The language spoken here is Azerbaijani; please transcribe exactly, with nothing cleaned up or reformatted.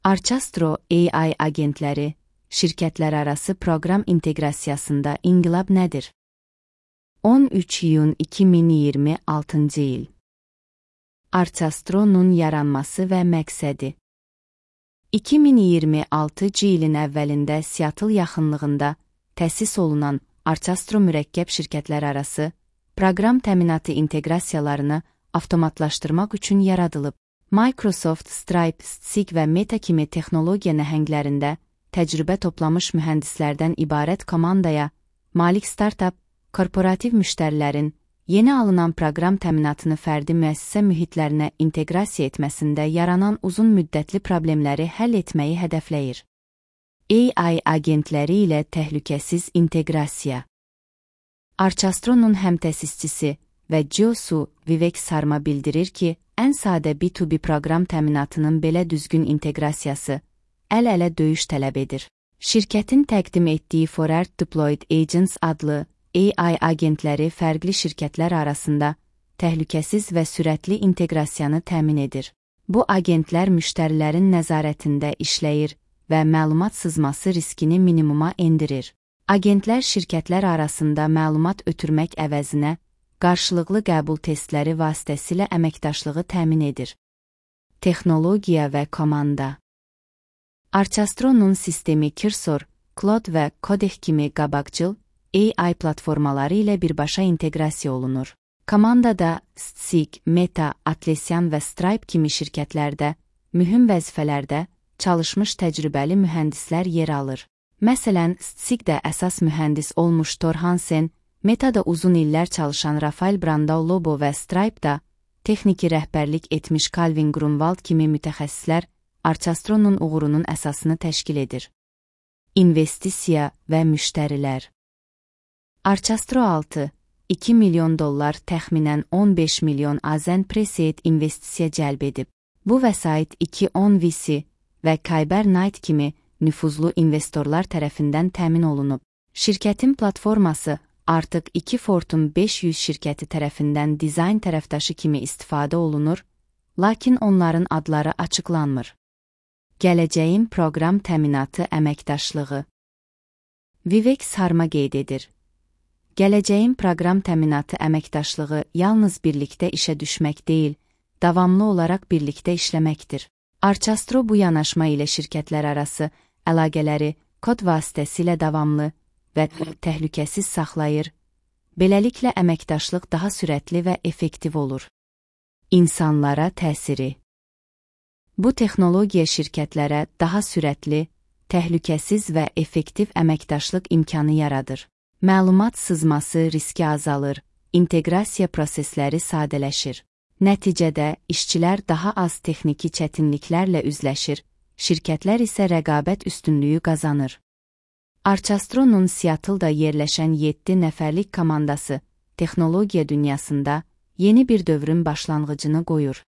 Archastro A I agentləri, şirkətlərarası proqram inteqrasiyasında inqilab nədir? on üç iyun iki min iyirmi altıncı il. Archastro'nun yaranması və məqsədi. iki min iyirmi altıncı ilin əvvəlində Seattle yaxınlığında təsis olunan Archastro mürəkkəb şirkətlərarası proqram təminatı inteqrasiyalarını avtomatlaşdırmaq üçün yaradılıb. Microsoft, Stripe, Stsig və Meta kimi texnologiya nəhənglərində təcrübə toplamış mühəndislərdən ibarət komandaya malik startup, korporativ müştərilərin yeni alınan proqram təminatını fərdi müəssisə mühitlərinə inteqrasiya etməsində yaranan uzun müddətli problemləri həll etməyi hədəfləyir. A I agentləri ilə təhlükəsiz inteqrasiya. Archastro'nun həmtəsisçisi və C E O-su Vivek Sarma bildirir ki, ən sadə B iki B proqram təminatının belə düzgün inteqrasiyası əl-ələ döyüş tələb edir. Şirkətin təqdim etdiyi Forward Deployed Agents adlı A I agentləri fərqli şirkətlər arasında təhlükəsiz və sürətli inteqrasiyanı təmin edir. Bu agentlər müştərilərin nəzarətində işləyir və məlumat sızması riskini minimuma endirir. Agentlər şirkətlər arasında məlumat ötürmək əvəzinə qarşılıqlı qəbul testləri vasitəsilə əməkdaşlığı təmin edir. Texnologiya və komanda. Archastro'nun sistemi Cursor, Claude və Codex kimi qabaqcıl A I platformaları ilə birbaşa inteqrasiya olunur. Komandada Stsig, Meta, Atlassian və Stripe kimi şirkətlərdə mühüm vəzifələrdə çalışmış təcrübəli mühəndislər yer alır. Məsələn, Stsigdə əsas mühəndis olmuş Thor Hansen, Meta'da uzun illər çalışan Rafael Brandao-Lobo və Stripe'da texniki rəhbərlik etmiş Calvin Grunwald kimi mütəxəssislər Archastro'nun uğurunun əsasını təşkil edir. İnvestisiya və müştərilər. Archastro altı iki milyon dollar təxminən on beş milyon Azen Preseed investisiya cəlb edib. Bu vəsait iki on V C və Kyber Knight kimi nüfuzlu investorlar tərəfindən təmin olunub. Şirkətin platforması artıq iki Fortune beş yüz şirkəti tərəfindən dizayn tərəfdaşı kimi istifadə olunur, lakin onların adları açıqlanmır. Gələcəyin proqram təminatı əməkdaşlığı. Vivek Sarma qeyd edir. Gələcəyin proqram təminatı əməkdaşlığı yalnız birlikdə işə düşmək deyil, davamlı olaraq birlikdə işləməkdir. Archastro bu yanaşma ilə şirkətlər arası əlaqələri kod vasitəsilə davamlı və təhlükəsiz saxlayır, beləliklə əməkdaşlıq daha sürətli və effektiv olur. İnsanlara təsiri. Bu texnologiya şirkətlərə daha sürətli, təhlükəsiz və effektiv əməkdaşlıq imkanı yaradır. Məlumat sızması riski azalır, inteqrasiya prosesləri sadələşir. Nəticədə işçilər daha az texniki çətinliklərlə üzləşir, şirkətlər isə rəqabət üstünlüyü qazanır. Archastro'nun Seattle'da yerləşən yeddi nəfərlik komandası texnologiya dünyasında yeni bir dövrün başlanğıcını qoyur.